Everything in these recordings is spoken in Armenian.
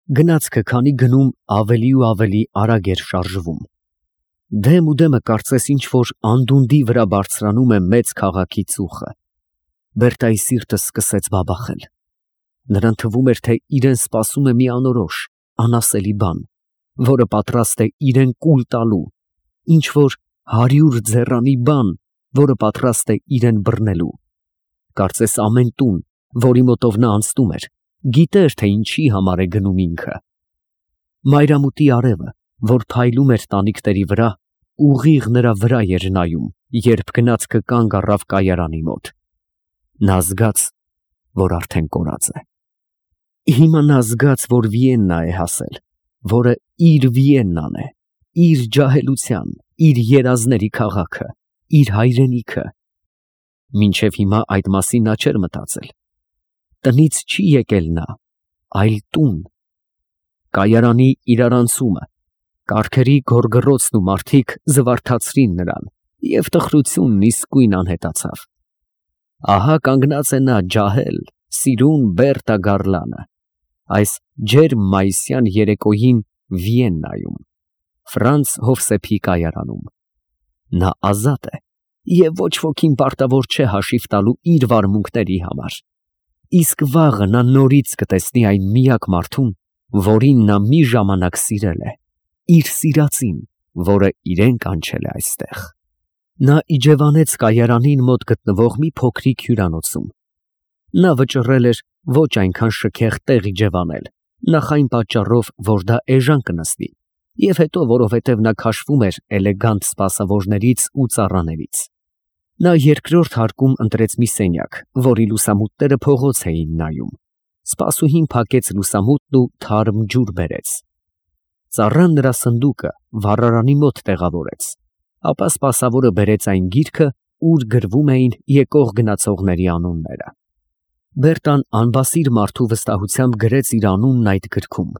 Գնացքը քանի գնում ավելի ու ավելի արագ էր շարժվում։ Դեմ ու դեմը կարծես ինչ-որ անդունդի վրա բարձրանում է մեծ քաղաքի ծուխը։ Բերտայի սիրտը սկսեց բաբախել։ Նրան թվում էր, թե իրեն սպասում է մի անորոշ, անասելի բան, որը պատրաստ է իրեն կուլ տալու, ինչ-որ 100 ձեռանի բան, որը պատրաստ է իրեն բռնելու։ Կարծես ամեն տուն, որի մոտով նա անցնում էր, գիտեր, թե ինչի համար է գնում ինքը։ Մայրամուտի արևը, որ փայլում էր տանիքների վրա, ուղիղ նրա վրա էր նայում, երբ գնացքը կանգ առավ կայարանի մոտ։ Նա զգաց, որ արդեն կորած է։ Հիմա նա զգաց, որ Վիեննա է հասել, որը իր Վիեննան է, իր ջահելության, իր երազների քաղաքը, իր հայրենիքը։ Մինչև հիմա այդ մասին նա չէր մտածել։ Տնից չի եկել նա, այլ տուն։ Կայարանի իրարանցումը, կառքերի գոռգոռոցն ու մարդիկ զվարթացրին նրան, և տխրությունն իսկույն անհետացավ։ Ահա կանգնած է նա ջահել, սիրուն Բերտա Գառլանը, այս ջերմ մայիսյան երեկոյին Վիեննայում, Ֆրանց Հովսեփի կայարանում։ Նա ազատ է, և ոչ ոքին պարտավոր չէ հաշիվ տալու իր վարմունքների համար։ Իսկ վաղը նա նորից կտեսնի այն միակ մարդուն, որին նա մի ժամանակ սիրել է, իր սիրածին, որը իրեն կանչել է այստեղ։ Նա իջևանեց կայարանին մոտ գտնվող մի փոքրիկ հյուրանոցում։ Նա վճռել էր ոչ այնքան շքեղ տեղ իջևանել, նախ այն պատճառով, որ դա էժան կնստի, և հետո որովհետև նա քաշվում էր էլեգանտ սպասավորներից ու ծառաներից։ Նա երկրորդ հարկում ընտրեց մի սենյակ, որի լուսամուտները փողոց էին նայում։ Սպասուհին փակեց լուսամուտն ու թարմ ջուր բերեց։ Ծառան նրա սնդուկը վառարանի մոտ տեղավորեց, ապա սպասավորը բերեց այն գիրքը, ուր գրվում էին եկող գնացողների անունները։ Բերտան անբասիր մարդու վստահությամբ գրեց իր անունն այդ գրքում։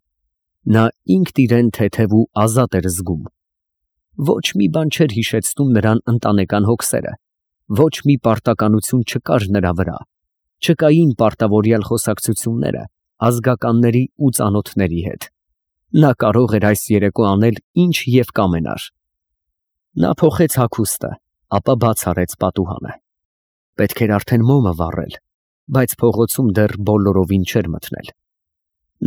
Նա ինքն իրեն թեթև ու ազատ էր զգում։ Ոչ մի բան չէր հիշեցնում նրան ընտանեկան հոգսերը, ոչ մի պարտականություն չկար նրա վրա, չկային պարտավորյալ խոսակցությունները ազգականների ու ծանոթների հետ։ Նա կարող էր այս երեկո անել ինչ և կամենար։ Նա փոխեց հագուստը, ապա բաց արեց պատուհանը։ Պետք էր արդեն մոմը վառել, բայց փողոցում դեռ բոլորովին չէր մթնել։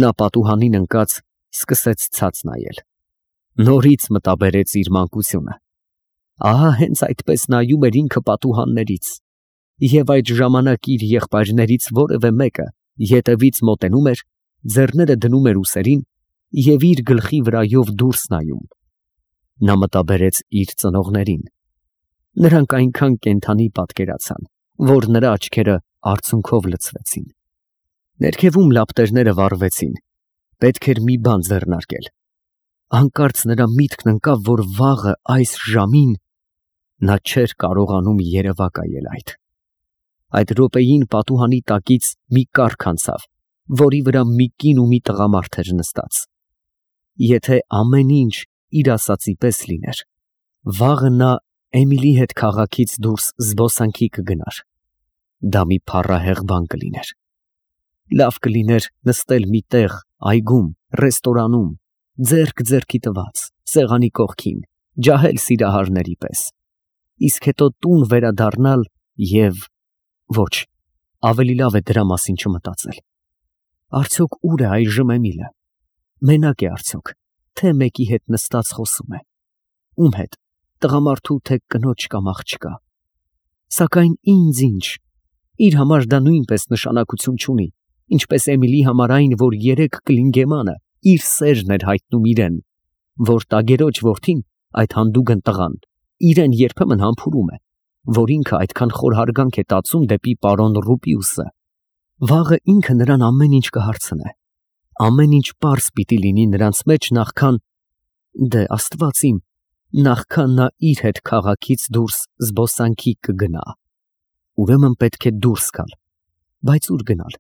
Նա պատուհանին ընկած սկսեց ցած նայել։ Նորից մտաբերեց իր մանկությունը։ Ահա հենց այդպես նայում էր ինքը պատուհաններից, և այդ ժամանակ իր եղբայրներից որևէ մեկը ետևից մոտենում էր, ձեռները դնում էր ուսերին և իր գլխի վրայով դուրս նայում։ Նա մտաբերեց իր ծնողներին։ Նրանք այնքան կենդանի պատկերացան, որ նրա աչքերը արցունքով լցվեցին։ Ներքևում լապտերները վառվեցին։ Պետք էր մի բան ձեռնարկել։ Հանկարծ նրա միտքն ընկավ, որ վաղը այս ժամին նա չէր կարողանում երևակայել այդ։ Այդ րոպեին պատուհանի տակից մի կառք անցավ, որի վրա մի կին ու մի տղամարդ էր նստած։ Եթե ամեն ինչ իր ասածի պես լիներ, վաղը նա Էմիլի հետ քաղաքից դուրս զբոսանքի կգնար։ Դա մի փառահեղ բան կլիներ։ Լավ կլիներ նստել մի տեղ, այգում, ռեստորանում, ձեռք ձեռքի տված, սեղանի կողքին, ջահել սիրահարների պես։ Իսկ հետո տուն վերադառնալ և… Ոչ, ավելի լավ է դրա մասին չմտածել։ Արդյոք ուր է այժմ Էմիլը։ Մենակ է արդյոք, թե մեկի հետ նստած խոսում է։ Ում հետ, տղամարդու թե կնոջ կամ աղջկա։ Սակայն ինձ ինչ, իր համար դա նույնպես նշանակություն չունի, ինչպես Էմիլի համար այն, որ երեկ Կլինգեմանը իր սերն էր հայտնում իրեն, որ տագերոջ որդին, այդ հանդուգն տղան, իրեն երբեմն համբուրում է, որ ինքը այդքան խոր հարգանք է տածում դեպի պարոն Ռուպիուսը։ Վաղը ինքը նրան ամեն ինչ կհարցնե։ Ամեն ինչ պարզ պիտի լինի նրանց մեջ նախքան… Դե Աստված իմ, նախքան նա իր հետ քաղաքից դուրս զբոսանքի կգնա։ Ուրեմն պետք է դուրս գալ, բայց ուր գնալ։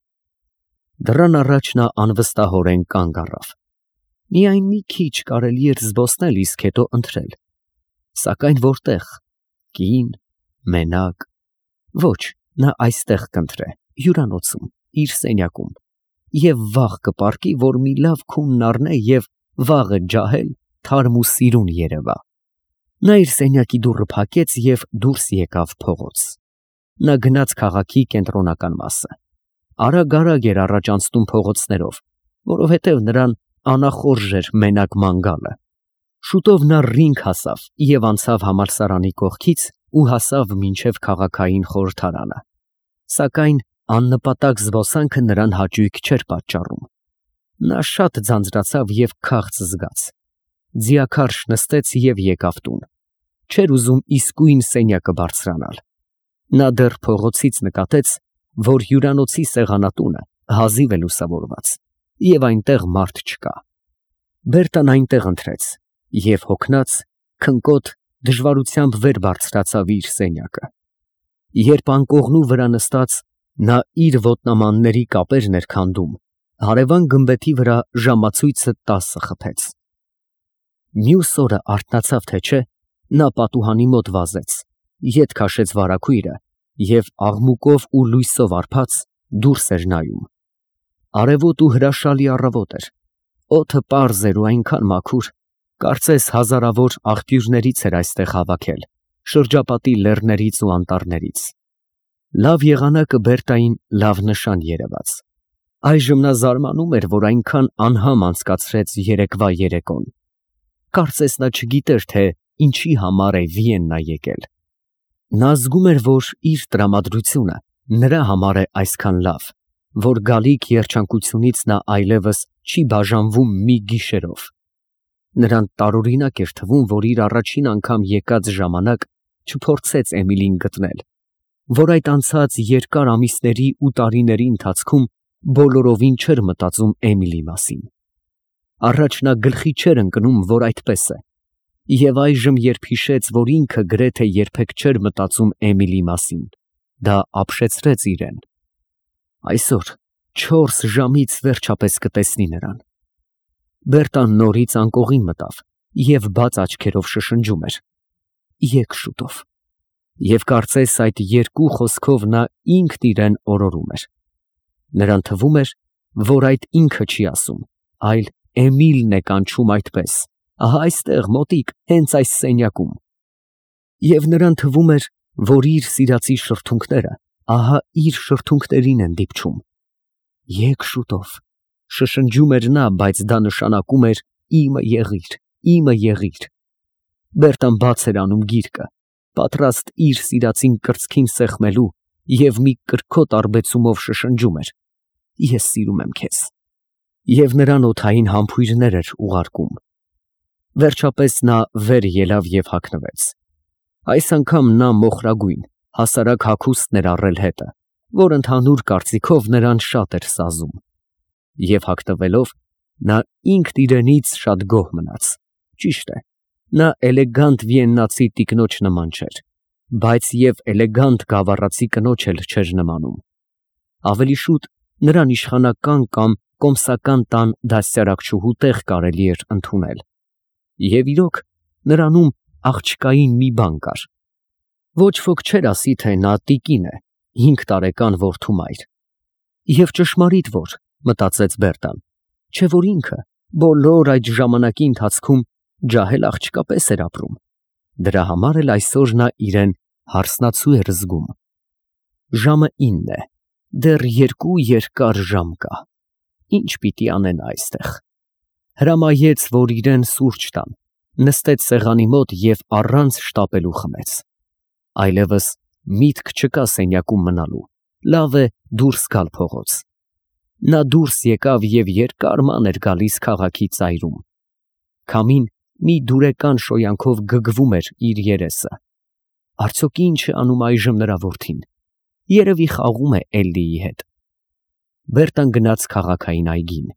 Դռան առաջ նա անվստահորեն կանգ առավ։ Միայն մի քիչ կարելի էր զբոսնել, իսկ հետո ընթրել։ Սակայն որտեղ։ Կին, մենակ։ Ոչ, նա այստեղ կընտրե, հյուրանոցում, իր սենյակում։ եւ վաղ կպարկի, որ մի լավ քունն առնե եւ վաղը ջահել թարմ ու սիրուն երևա։ Նա իր սենյակի դուռը փակեց եւ դուրս եկավ փողոց։ Նա գնաց քաղաքի կենտրոնական մասը։ Արագ-արագ էր առաջ անցնում փողոցներով, որովհետև նրան անախորժ էր մենակ ման գալը։ Շուտով նա ռինգ հասավ եւ անցավ համալսարանի կողքից ու հասավ մինչև քաղաքային խորհրդարանը։ Սակայն աննպատակ զբոսանքը նրան հաճույք չէր պատճառում։ Նա շատ ձանձրացավ եւ քաղց զգաց։ Ձիաքարշ նստեց եւ եկավ տուն։ Չէր ուզում իսկույն սենյակը բարձրանալ։ Նա դեռ փողոցից նկատեց, որ հյուրանոցի սեղանատունը հազիվ է լուսավորված եւ այնտեղ մարդ չկա։ Բերտան այնտեղ ընթրեց եւ հոգնած, քնկոտ, դժվարությամբ վեր բարձրացավ իր սենյակը։ Երբ անկողնու վրա նստած նա իր ոտնամանների կապերն էր քանդում, հարևան գմբեթի վրա ժամացույցը 10 խփեց։ Մյուս օրը արթնացավ թե չէ, նա պատուհանի մոտ վազեց, ետ քաշեց վարագույրը եւ աղմուկով ու լույսով արբած դուրս էր նայում։ Արևոտ ու հրաշալի առավոտ էր։ Օդը պարզ էր ու այնքան մաքուր, կարծես հազարավոր աղբյուրներից էր այստեղ հավաքել, շրջապատի լեռներից ու անտառներից։ Լավ եղանակը Բերտային լավ նշան երևաց։ Այժմ նա զարմանում էր, որ այնքան անհամ անցկացրեց երեկվա երեկոն։ Կարծես նա չգիտեր, թե ինչի համար է Վիեննա եկել։ Նա զգում էր, որ իր տրամադրությունը նրա համար է այսքան լավ, որ գալիք երջանկությունից նա այլևս չի բաժանվում մի գիշերով։ Նրան տարօրինակ էր թվում, որ իր առաջին անգամ եկած ժամանակ չփորձեց Էմիլին գտնել, որ այդ անցած երկար ամիսների ու տարիների ընթացքում բոլորովին չէր մտածում Էմիլի մասին։ Առաջ նա գլխի չէր ընկնում, որ այդպես է, եւ այժմ երբ հիշեց, որ ինքը գրեթե երբեք չէր մտածում Էմիլի մասին, դա ապշեցրեց իրեն։ Այսօր 4 ժամից վերջապես կտեսնի նրան։ Բերտան նորից անկողին մտավ եւ բաց աչքերով շշնջում էր. «Եկ շուտով»։ Եվ կարծես այդ երկու խոսքով նա ինքն իրեն օրորում էր։ Նրան թվում էր, որ այդ ինքը չի ասում, այլ Էմիլն է կանչում այդպես, ահա այստեղ մոտիկ, հենց այս սենյակում։ Եվ նրան թվում էր, որ իր սիրածի շրթունքները ահա իր շրթունքներին են դիպչում։ Եկ շուտով, շշնջում էր նա, բայց դա նշանակում էր իմը եղիր, իմը եղիր։ Բերտան բաց էր անում գիրկը, պատրաստ իր սիրածին կրծքին սեղմելու եւ մի կրքոտ արբեցումով շշնջում էր. «Ես սիրում եմ քեզ»։ Եվ նրան օդային համբույրներ էր ուղարկում։ Վերջապես նա վեր ելավ եւ հագնվեց։ Այս անգամ նա մոխրագույն, հասարակ հագուստն էր առել հետը, որ ընդհանուր կարծիքով նրան շատ էր սազում։ Եվ հագնվելով նա ինքն իրենից շատ գոհ մնաց։ Ճիշտ է, նա էլեգանտ վիեննացի տիկնոջ նման չէր, բայց եւ էլեգանտ գավառացի կնոջ էլ չէր նմանում։ Ավելի շուտ նրան իշխանական կամ կոմսական տան դաստիարակչուհու տեղ կարելի էր ընդունել։ Եվ իրոք նրանում աղջկային մի բան կար։ Ոչ ոք չէր ասի, թե նա տիկին է, 5 տարեկան որդու մայր։ Եվ ճշմարիտ որ, մտածեց Բերտան, չէ որ ինքը բոլոր այդ ժամանակի ընթացքում ջահել աղջկապես էր ապրում։ Դրա համար էլ այսօր նա իրեն հարսնացու էր զգում։ Ժամը 9 է, դեռ 2 երկար ժամ կա։ Ինչ պիտի անեն այստեղ։ Հրամայեց, որ իրեն սուրճ տան, նստեց սեղանի մոտ եւ առանց շտապելու խմեց։ Այլևս միտք չկա սենյակում մնալու, լավ է դուրս գալ փողոց։ Նա դուրս եկավ եւ երկար ման էր գալիս քաղաքի ծայրում։ Քամին մի դուրեկան շոյանքով գգվում էր իր երեսը։ Արդյոք ինչ է անում այժմ նրա որդին։ Երևի խաղում է Էլլիի հետ։ Բերտան գնաց քաղաքային այգին։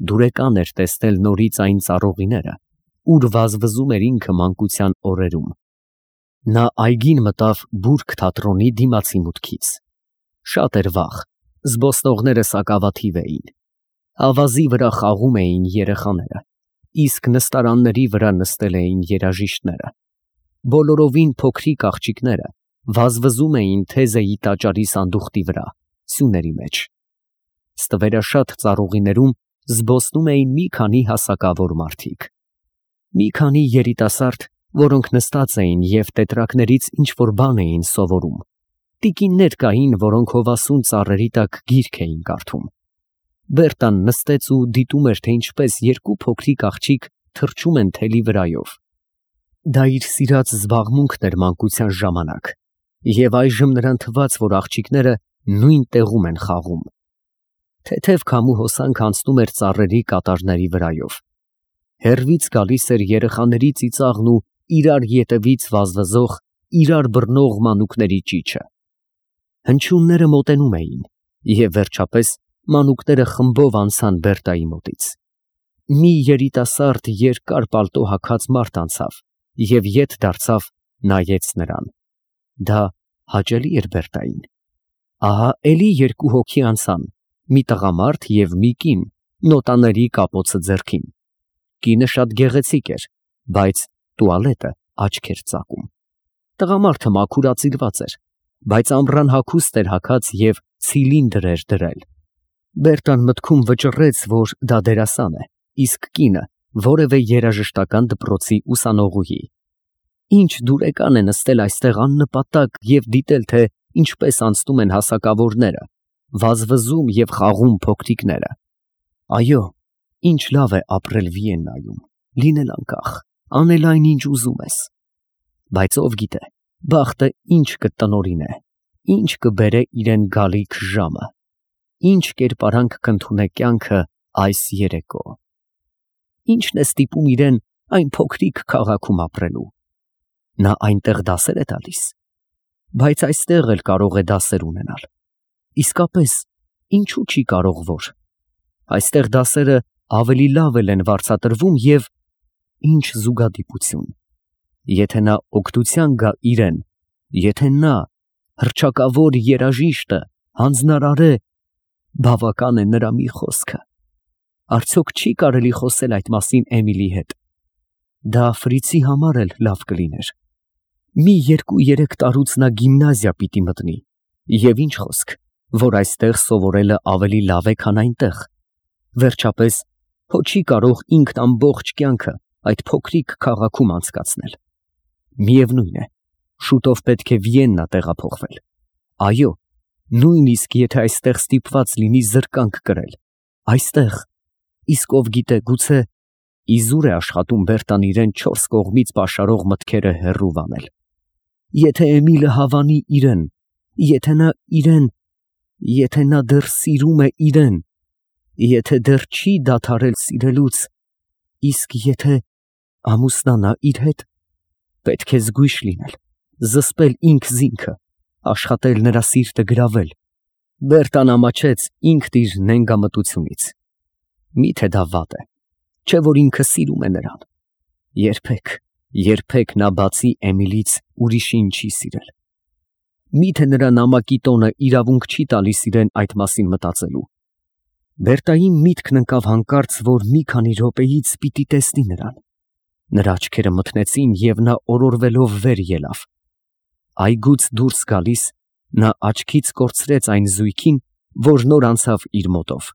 Դուրեկան էր տեսնել նորից այն ծառողիները, ուր վազվզում էր ինքը մանկության օրերում։ Նա այգին մտավ բուրգ թատրոնի դիմացի մուտքից։ Շատ էր վաղ, զբոսնողները սակավաթիվ էին։ Ավազի վրա խաղում էին երեխաները, իսկ նստարանների վրա նստել էին երաժիշտները։ Բոլորովին փոքրիկ աղջիկները վազվզում էին թեզեի տաճարի սանդուղտի վրա, սյուների մեջ։ Ստվերաշատ ծառուղիներում զբոսնում էին մի քանի հասակավոր մարդիկ։ Մի քանի երիտասարդ, որոնք նստած էին և տետրակներից ինչ-որ բան էին սովորում։ Տիկիններ կային, որոնք հովասուն ծառերի տակ գիրք էին կարդում։ Բերտան նստեց ու դիտում էր, թե ինչպես երկու փոքրիկ աղջիկ թռչում են թելի վրայով։ Դա իր սիրած զբաղմունքն էր մանկության ժամանակ, և այժմ նրան թվաց, որ աղջիկները նույն տեղում են խաղում։ Թեթև քամու հոսանք անցնում էր ծառերի կատարների վրայով։ Հեռվից գալիս էր երեխաների ծիծաղն ու իրար ետևից վազվզող, իրար բռնող մանուկների ճիչը։ Հնչյունները մոտենում էին, և վերջապես մանուկները խմբով անցան Բերտայի մոտից։ Մի երիտասարդ երկար պալտո հագած մարդ անցավ և ետ դարձավ, նայեց նրան։ Դա հաճելի էր Բերտային։ Ահա էլի երկու հոգի անցան, մի տղամարդ և մի կին, նոտաների կապոցը ձեռքին։ Կինը շատ գեղեցիկ էր, բայց տուալետը աչք էր ծակում։ Տղամարդը մաքուրացիլված էր, բայց ամռան հագուստ էր հագած և ցիլինդր էր դրել։ Բերտան մտքում վճռեց, որ դա դերասան է, իսկ կինը որևէ երաժշտական դպրոցի ուսանողուհի։ Ինչ դուրեկան է նստել այստեղ աննպատակ և դիտել, թե ինչպես անցնում են հասակավորները, վազվզում և խաղում փոքրիկները։ Այո, ինչ լավ է ապրել Վիեննայում, լինել անկախ, անել այն, ինչ ուզում ես։ Բայց ով գիտե, բախտը ինչ կտնօրինե, ինչ կբերե իրեն գալիք ժամը, ինչ կերպարանք կընդունե կյանքը այս երեկո։ Ինչն է ստիպում իրեն այն փոքրիկ քաղաքում ապրելու։ Նա այնտեղ դասեր է տալիս, բայց այստեղ էլ կարող է դասեր ունենալ։ Իսկապես, ինչու չի կարող որ։ Այստեղ դասերը ավելի լավ են վարձատրվում և ինչ զուգադիպություն։ Եթե նա օգնության գա իրեն, եթե նա հռչակավոր երաժիշտը, հանձնարարե, բավական է նրա մի խոսքը։ Արդյոք չի կարելի խոսել այդ մասին Էմիլի հետ։ Դա Ֆրիցի համար էլ լավ կլիներ։ Մի 2-3 տարուց նա գիմնազիա պիտի մտնի, և ինչ խոսք, որ այստեղ սովորելը ավելի լավ է, քան այնտեղ։ Վերջապես, հո չի կարող ինքն ամբողջ կյանքը այդ փոքրիկ քաղաքում անցկացնել։ Միևնույն է, շուտով պետք է Վիեննա տեղափոխվել։ Այո, նույնիսկ եթե այստեղ ստիպված լինի զրկանք կրել, այստեղ, իսկ ով գիտե, գուցե իզուր է աշխատում Բերտան իրեն 4 կողմից պաշարող մտքերը հեռու վանել։ Եթե Էմիլը հավանի իրեն, եթե նա դեռ սիրում է իրեն, եթե դեռ չի դադարել սիրելուց, իսկ եթե ամուսնանա իր հետ, պետք է զգույշ լինել, զսպել ինքզինքը, աշխատել նրա սիրտը գրավել։ Բերտան ամաչեց ինքն իր նենգամտությունից։ Միթե դա վատ է, չէ՞ որ ինքը սիրում է նրան։ Երբեք նա բացի Էմիլից ուրիշին չի սիրել։ Միթե նրա նամակի տոնը իրավունք չի տալիս իրեն այդ մասին մտածելու։ Բերտայի միտքն ընկավ հանկարծ, որ մի քանի րոպեից պիտի տեսնի նրան։ Նրա աչքերը մթնեցին, և նա օրորվելով վեր ելավ։ Այգուց դուրս գալիս, նա աչքից կորցրեց այն զույգին, որ նոր անցավ իր մոտով։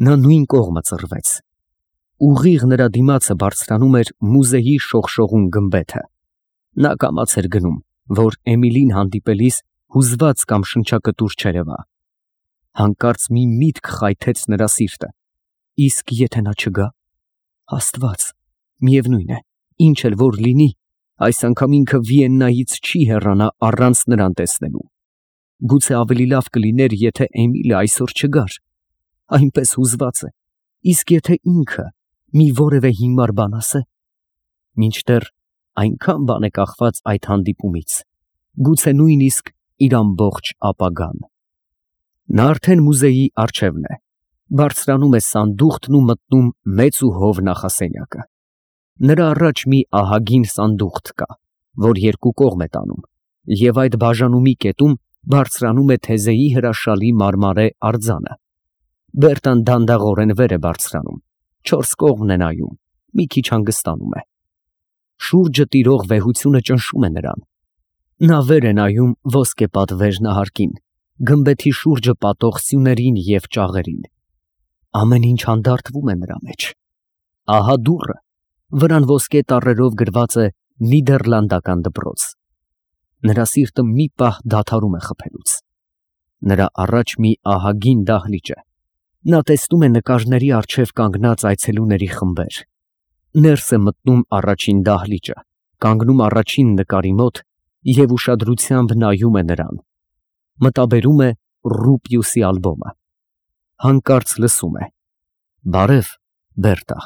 Նա նույն կողմը ծռվեց։ Ուղիղ նրա դիմացը բարձրանում էր մուզեի շողշողուն գմբեթը։ Նա կամաց էր գնում, որ Էմիլին հանդիպելիս հուզված կամ շնչակտուր չերևա։ Հանկարծ մի միտք խայթեց նրա սիրտը։ Իսկ եթե նա չգա։ Աստված, միևնույն է, ինչ էլ որ լինի, այս անգամ ինքը Վիեննայից չի հեռանա առանց նրան տեսնելու։ Գուցե ավելի լավ կլիներ, եթե Էմիլը այսօր չգար։ Այնպես հուզված է, իսկ եթե ինքը մի որևէ հիմար բան ասե, մինչդեռ այնքան բան է կախված այդ հանդիպումից, գուցե նույնիսկ իր ամբողջ ապագան։ Նա արդեն մուզեի առջևն է, բարձրանում է սանդուղքն ու մտնում մեծ ու հով նախասենյակը։ Նրա առաջ մի ահագին սանդուղք կա, որ երկու կողմ է տանում, և այդ բաժանումի կետում բարձրանում է թեզեի հրաշալի մարմարե արձանը։ Բերտան դանդաղորեն վեր է բարձրանում, 4 կողմն է նայում, մի քիչ հանգստանում է։ Շուրջը տիրող վեհությունը ճնշում է նրան։ Նա վեր է նայում ոսկեպատ վերնահարկին, գմբեթի շուրջը պատող սյուներին և ճաղերին։ Ամեն ինչ հանդարտվում է նրա մեջ։ Ահա դուռը, վրան ոսկե տառերով գրված է Նիդերլանդական դպրոց։ Նրա սիրտը մի պահ դադարում է խփելուց։ Նրա առաջ մի ահագին դահլիճ է։ Նա տեսնում է նկարների առջև կանգնած այցելուների խմբեր։ Ներս է մտնում առաջին դահլիճը, կանգնում առաջին նկարի մոտ և ուշադրությամբ նայում է նրան։ Մտաբերում է Ռուպիուսի ալբոմը։ Հանկարծ լսում է. «Բարև, Բերտա»։